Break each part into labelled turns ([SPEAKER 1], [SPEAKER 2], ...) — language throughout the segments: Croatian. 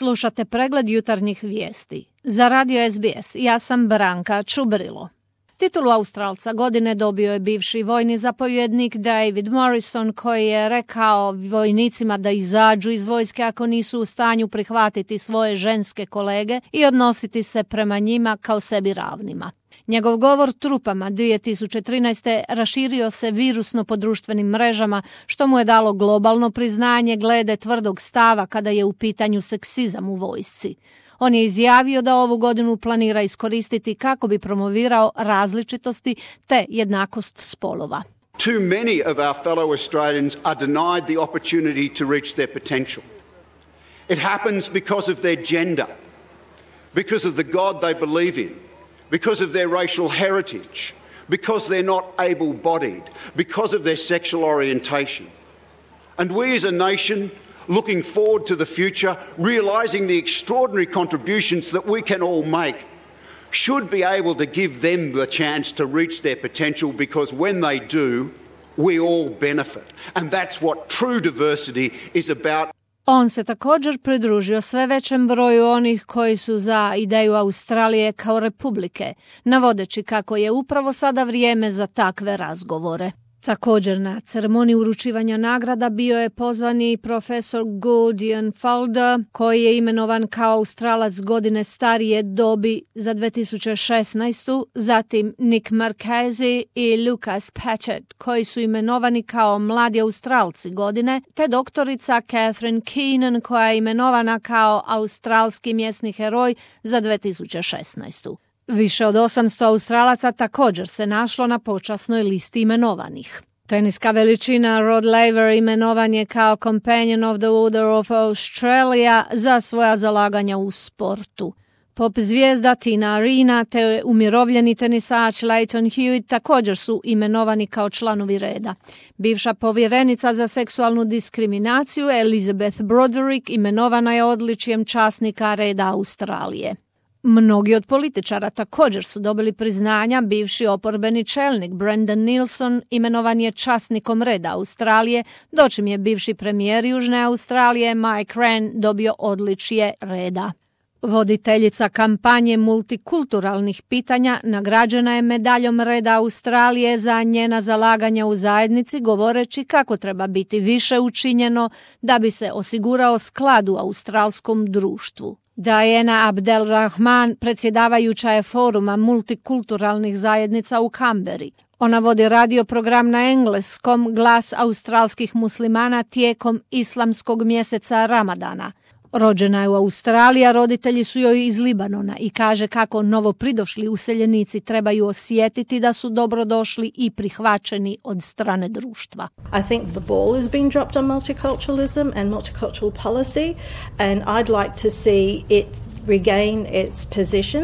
[SPEAKER 1] Slušate pregled jutarnjih vijesti. Za radio SBS ja sam Branka Čubrilo. Titulu Australca godine dobio je bivši vojni zapovjednik David Morrison, koji je rekao vojnicima da izađu iz vojske ako nisu u stanju prihvatiti svoje ženske kolege i odnositi se prema njima kao sebi ravnima. Njegov govor trupama 2013. raširio se virusno po društvenim mrežama, što mu je dalo globalno priznanje glede tvrdog stava kada je u pitanju seksizam u vojsci. On je izjavio da ovu godinu planira iskoristiti kako bi promovirao različitosti te jednakost spolova.
[SPEAKER 2] Too many of our fellow Australians are denied the opportunity to reach their potential. It happens because of their gender, because of the God they believe in, because of their racial heritage, because they're not able-bodied, because of their sexual orientation. And we as a nation, looking forward to the future, realising the extraordinary contributions that we can all make, should be able to give them the chance to reach their potential, because when they do, we all benefit. And that's what true diversity is about.
[SPEAKER 1] On se također pridružio sve većem broju onih koji su za ideju Australije kao republike, navodeći kako je upravo sada vrijeme za takve razgovore. Također na ceremoniji uručivanja nagrada bio je pozvani profesor Gudjon Falder, koji je imenovan kao Australac godine starije dobi za 2016. Zatim Nick Marchese i Lucas Patchett, koji su imenovani kao mladi Australci godine, te doktorica Catherine Keenan, koja je imenovana kao australski mjesni heroj za 2016. Više od 800 Australaca također se našlo na počasnoj listi imenovanih. Teniska veličina Rod Laver imenovan je kao Companion of the Order of Australia za svoja zalaganja u sportu. Pop zvijezda Tina Arena te umirovljeni tenisač Lleyton Hewitt također su imenovani kao članovi reda. Bivša povjerenica za seksualnu diskriminaciju Elizabeth Broderick imenovana je odličjem časnika reda Australije. Mnogi od političara također su dobili priznanja. Bivši oporbeni čelnik Brendan Nilsson imenovan je časnikom reda Australije, dočim je bivši premijer Južne Australije Mike Rann dobio odličje reda. Voditeljica kampanje multikulturalnih pitanja nagrađena je medaljom reda Australije za njena zalaganja u zajednici, govoreći kako treba biti više učinjeno da bi se osigurao sklad u australskom društvu. Diana Abdelrahman predsjedavajuća je foruma multikulturalnih zajednica u Kamberi. Ona vodi radio program na engleskom Glas australskih muslimana tijekom islamskog mjeseca Ramadana. Rođena je u Australiji, a roditelji su joj iz Libanona i kaže kako novopridošli useljenici trebaju osjetiti da su dobrodošli i prihvaćeni od strane društva.
[SPEAKER 3] I think the ball has been dropped on multiculturalism and multicultural policy, and I'd like to see it regain its position,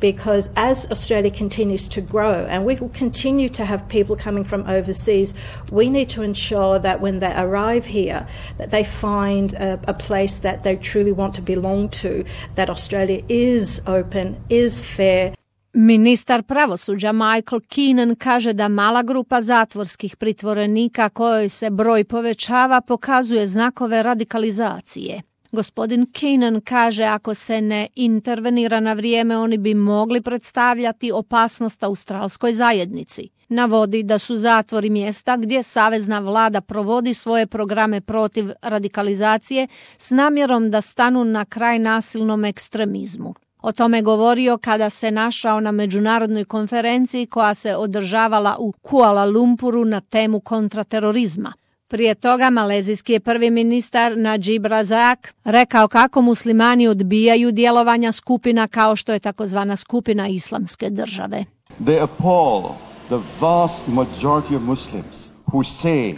[SPEAKER 3] because as Australia continues to grow and we will continue to have people coming from overseas, we need to ensure that when they arrive here that they find a place that they truly want to belong to, that Australia is open, is fair.
[SPEAKER 1] Ministar pravosuđa Michael Keenan kaže da mala grupa zatvorskih pritvorenika kojoj se broj povećava pokazuje znakove radikalizacije. Gospodin Keenan kaže ako se ne intervenira na vrijeme, oni bi mogli predstavljati opasnost australskoj zajednici. Navodi da su zatvori mjesta gdje savezna vlada provodi svoje programe protiv radikalizacije s namjerom da stanu na kraj nasilnom ekstremizmu. O tome govorio kada se našao na međunarodnoj konferenciji koja se održavala u Kuala Lumpuru na temu kontraterorizma. Prije toga malezijski je prvi ministar Najib Razak rekao kako muslimani odbijaju djelovanja skupina kao što je takozvana skupina Islamske države.
[SPEAKER 4] They appall the vast majority of Muslims who say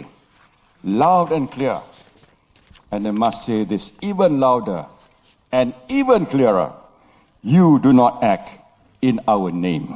[SPEAKER 4] loud and clear, and I must say this even louder and even clearer, you do not act in our name.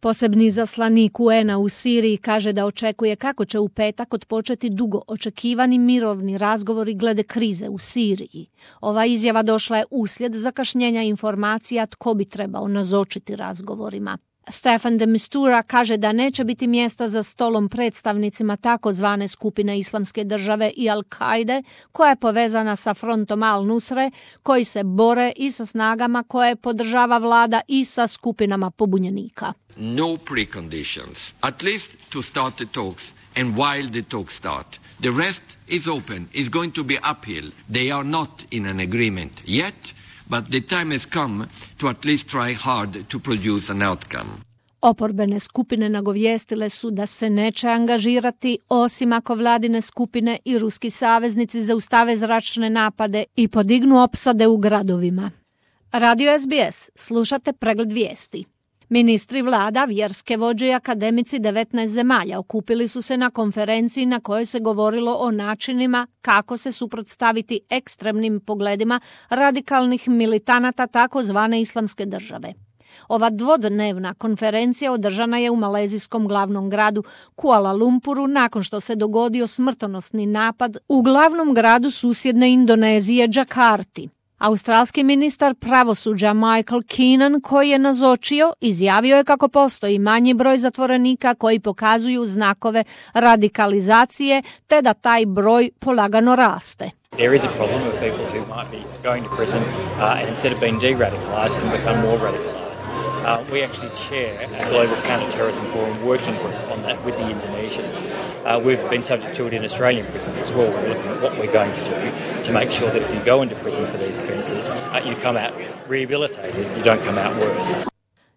[SPEAKER 1] Posebni izaslanik UN-a u Siriji kaže da očekuje kako će u petak odpočeti dugo očekivani mirovni razgovori glede krize u Siriji. Ova izjava došla je uslijed zakašnjenja informacija tko bi trebao nazočiti razgovorima. Stefan de Mistura kaže da neće biti mjesta za stolom predstavnicima takozvane skupine Islamske države i Al-Kaide, koja je povezana sa frontom Al-Nusre, koji se bore i sa snagama koje podržava vlada i sa skupinama pobunjenika.
[SPEAKER 5] No preconditions, at least to start the talks and while the talks start. The rest is open, is going to be uphill. They are not in an agreement yet, but the time has come to at least try hard to produce an outcome.
[SPEAKER 1] Oporbene skupine nagovijestile su da se neće angažirati osim ako vladine skupine i ruski saveznici zaustave zračne napade i podignu opsade u gradovima. Radio SBS, slušate pregled vijesti. Ministri vlada, vjerske vođe i akademici 19 zemalja okupili su se na konferenciji na kojoj se govorilo o načinima kako se suprotstaviti ekstremnim pogledima radikalnih militanata takozvane Islamske države. Ova dvodnevna konferencija održana je u malezijskom glavnom gradu Kuala Lumpuru nakon što se dogodio smrtonosni napad u glavnom gradu susjedne Indonezije, Džakarti. Australski ministar pravosuđa Michael Keenan, koji je nazočio, izjavio je kako postoji manji broj zatvorenika koji pokazuju znakove radikalizacije, te da taj broj polagano raste.
[SPEAKER 6] There is a problem of people who might be going to prison and instead of being de-radicalized can become more radicalized. We actually chair a global counter-terrorism forum working group on that with the Indonesians. We've been subject to it in Australian prisons as well. We're looking at what we're going to do to make sure that if you go into prison for these offences, you come out rehabilitated, you don't come out worse.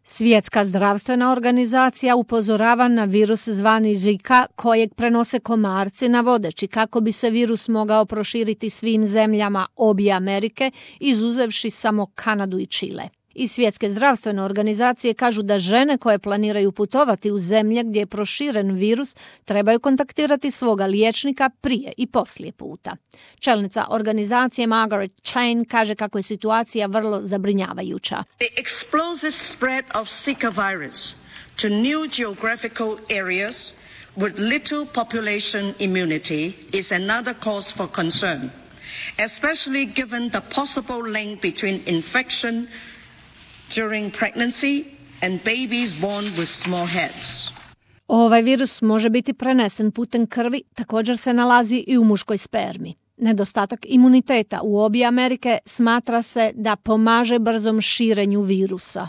[SPEAKER 1] Svjetska zdravstvena organizacija upozorava na virus zvani Zika kojeg prenose komarci, navodeći kako bi se virus mogao proširiti svim zemljama obje Amerike, izuzevši samo Kanadu i Čile. I Svjetske zdravstvene organizacije kažu da žene koje planiraju putovati u zemlje gdje je proširen virus trebaju kontaktirati svoga liječnika prije i poslije puta. Čelnica organizacije Margaret Chan kaže kako je situacija vrlo zabrinjavajuća.
[SPEAKER 7] The explosive spread of Zika virus to new geographical areas with little population immunity is another cause for concern, especially given the possible link between infection during pregnancy and babies born with small heads.
[SPEAKER 1] Ovaj virus može biti prenesen putem krvi, također se nalazi i u muškoj spermi. Nedostatak imuniteta u obje Amerike smatra se da pomaže brzom širenju virusa.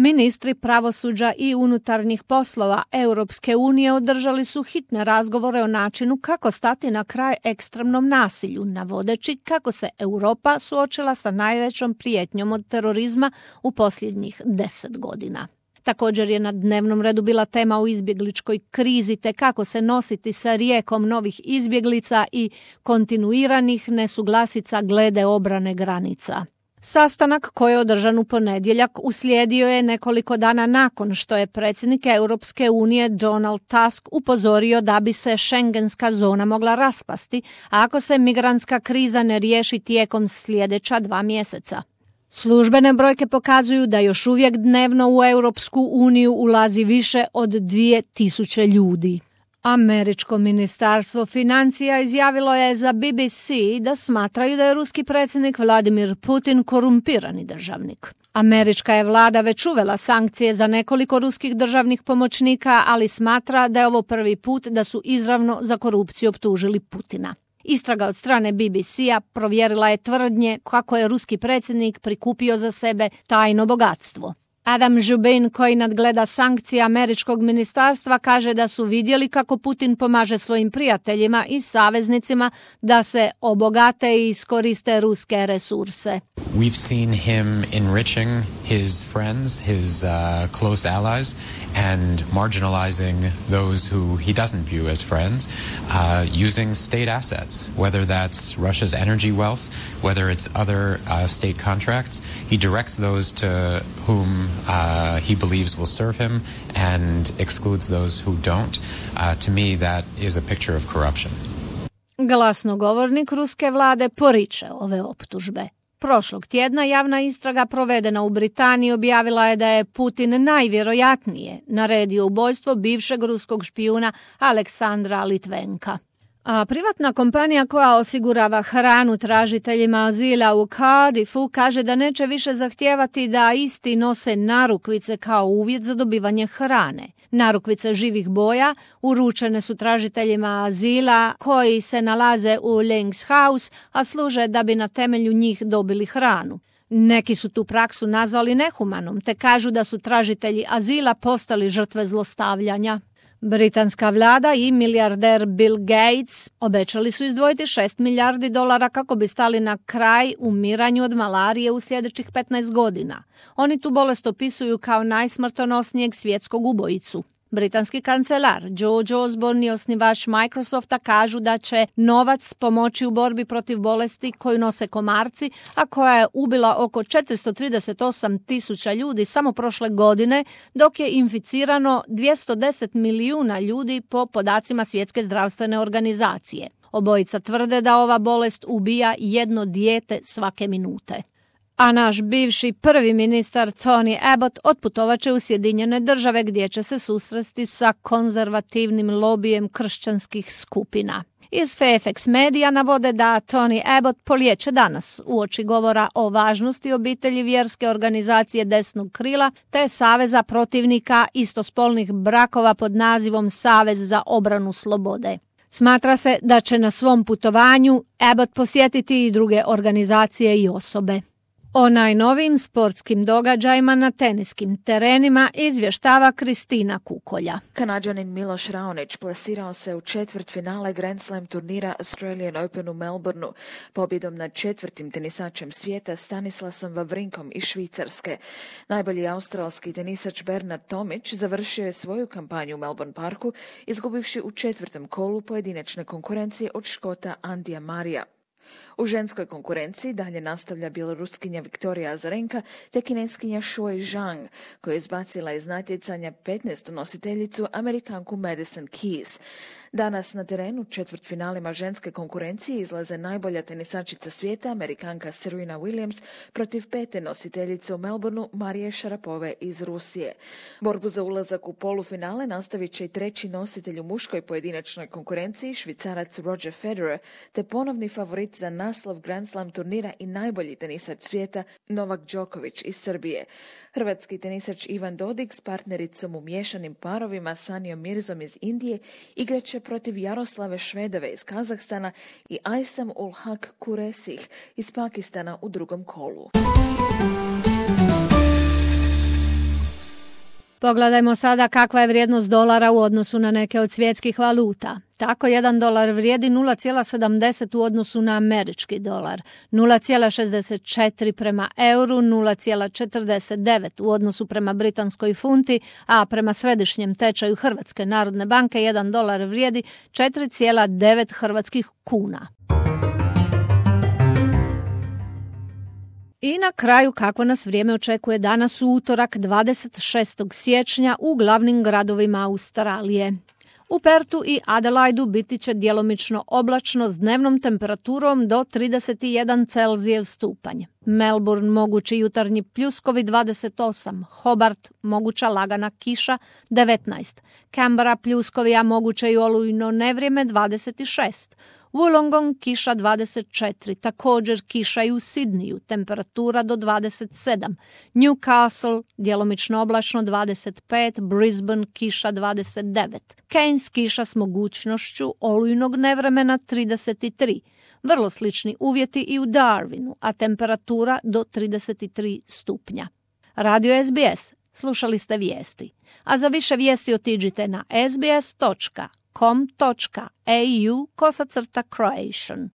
[SPEAKER 1] Ministri pravosuđa i unutarnjih poslova Europske unije održali su hitne razgovore o načinu kako stati na kraj ekstremnom nasilju, navodeći kako se Europa suočila sa najvećom prijetnjom od terorizma u posljednjih 10 godina. Također je na dnevnom redu bila tema o izbjegličkoj krizi te kako se nositi sa rijekom novih izbjeglica i kontinuiranih nesuglasica glede obrane granica. Sastanak koji je održan u ponedjeljak uslijedio je nekoliko dana nakon što je predsjednik Europske unije Donald Tusk upozorio da bi se šengenska zona mogla raspasti ako se migrantska kriza ne riješi tijekom sljedeća 2 mjeseca. Službene brojke pokazuju da još uvijek dnevno u Europsku uniju ulazi više od 2000 ljudi. Američko ministarstvo financija izjavilo je za BBC da smatraju da je ruski predsjednik Vladimir Putin korumpirani državnik. Američka je vlada već uvela sankcije za nekoliko ruskih državnih pomoćnika, ali smatra da je ovo prvi put da su izravno za korupciju optužili Putina. Istraga od strane BBC-a provjerila je tvrdnje kako je ruski predsjednik prikupio za sebe tajno bogatstvo. Adam Jubin, koji nadgleda sankcije američkog ministarstva, kaže da su vidjeli kako Putin pomaže svojim prijateljima i saveznicima da se obogate i iskoriste ruske resurse.
[SPEAKER 8] We've seen him enriching his friends, his close allies, and marginalizing those who he doesn't view as friends, using state assets, whether that's Russia's energy wealth, whether it's other state contracts. He directs those to whom he believes will serve him and excludes those who don't. To me, that is a picture of corruption.
[SPEAKER 1] Glasnogovornik ruske vlade poriče ove optužbe. Prošlog tjedna javna istraga provedena u Britaniji objavila je da je Putin najvjerojatnije naredio ubojstvo bivšeg ruskog špijuna Aleksandra Litvenka. A privatna kompanija koja osigurava hranu tražiteljima azila u Cardiffu kaže da neće više zahtijevati da isti nose narukvice kao uvjet za dobivanje hrane. Narukvice živih boja uručene su tražiteljima azila koji se nalaze u Langs House, a služe da bi na temelju njih dobili hranu. Neki su tu praksu nazvali nehumanom, te kažu da su tražitelji azila postali žrtve zlostavljanja. Britanska vlada i milijarder Bill Gates obećali su izdvojiti $6 milijardi kako bi stali na kraj umiranju od malarije u sljedećih 15 godina. Oni tu bolest opisuju kao najsmrtonosnijeg svjetskog ubojicu. Britanski kancelar George Osborne i osnivač Microsofta kažu da će novac pomoći u borbi protiv bolesti koju nose komarci, a koja je ubila oko 438.000 ljudi samo prošle godine, dok je inficirano 210 milijuna ljudi po podacima Svjetske zdravstvene organizacije. Obojica tvrde da ova bolest ubija jedno dijete svake minute. A naš bivši prvi ministar Tony Abbott otputovat će u Sjedinjene Države gdje će se susresti sa konzervativnim lobijem kršćanskih skupina. Iz Fairfax medija navode da Tony Abbott polijeće danas uoči govora o važnosti obitelji vjerske organizacije desnog krila te Saveza protivnika istospolnih brakova pod nazivom Savez za obranu slobode. Smatra se da će na svom putovanju Abbott posjetiti i druge organizacije i osobe. O najnovijim sportskim događajima na teniskim terenima izvještava Kristina Kukolja.
[SPEAKER 9] Kanađanin Miloš Raonić plasirao se u četvrtfinale Grand Slam turnira Australian Open u Melbourneu pobjedom nad četvrtim tenisačem svijeta Stanislasom Wawrinkom iz Švicarske. Najbolji australski tenisač Bernard Tomić završio je svoju kampanju u Melbourne Parku izgubivši u četvrtom kolu pojedinačne konkurencije od Škota Andija Marija. U ženskoj konkurenciji dalje nastavlja bjeloruskinja Viktorija Azarenka te kineskinja Shuai Zhang, koja je izbacila iz natjecanja 15. nositeljicu Amerikanku Madison Keys. Danas na terenu četvrtfinalima ženske konkurencije izlaze najbolja tenisačica svijeta, Amerikanka Serena Williams, protiv 5. nositeljice u Melbourneu Marije Šarapove iz Rusije. Borbu za ulazak u polufinale nastavit će i treći nositelj u muškoj pojedinačnoj konkurenciji, Švicarac Roger Federer, te ponovni favorit za naslov Grand Slam turnira i najbolji tenisač svijeta Novak Đoković iz Srbije. Hrvatski tenisač Ivan Dodig s partnericom u miješanim parovima Sanijom Mirzom iz Indije igraće protiv Jaroslave Švedove iz Kazahstana i Aysam ul Haq Kuresih iz Pakistana u drugom kolu.
[SPEAKER 1] Pogledajmo sada kakva je vrijednost dolara u odnosu na neke od svjetskih valuta. Tako $1 vrijedi 0,70 u odnosu na američki dolar, 0,64 prema euru, 0,49 u odnosu prema britanskoj funti, a prema središnjem tečaju Hrvatske narodne banke $1 vrijedi 4,9 hrvatskih kuna. I na kraju kako nas vrijeme očekuje danas u utorak 26. siječnja u glavnim gradovima Australije. U Pertu i Adelaidu biti će djelomično oblačno s dnevnom temperaturom do 31 Celzijev stupanj. Melbourne mogući jutarnji pljuskovi 28, Hobart moguća lagana kiša 19, Canberra pljuskovi a moguće i olujno nevrijeme 26, Wollongong kiša 24, također kiša i u Sidniju, temperatura do 27, Newcastle djelomično oblačno 25, Brisbane kiša 29, Cairns kiša s mogućnošću olujnog nevremena 33, vrlo slični uvjeti i u Darwinu, a temperatura do 33 stupnja. Radio SBS, slušali ste vijesti, a za više vijesti otiđite na sbs.com.au/Croatian.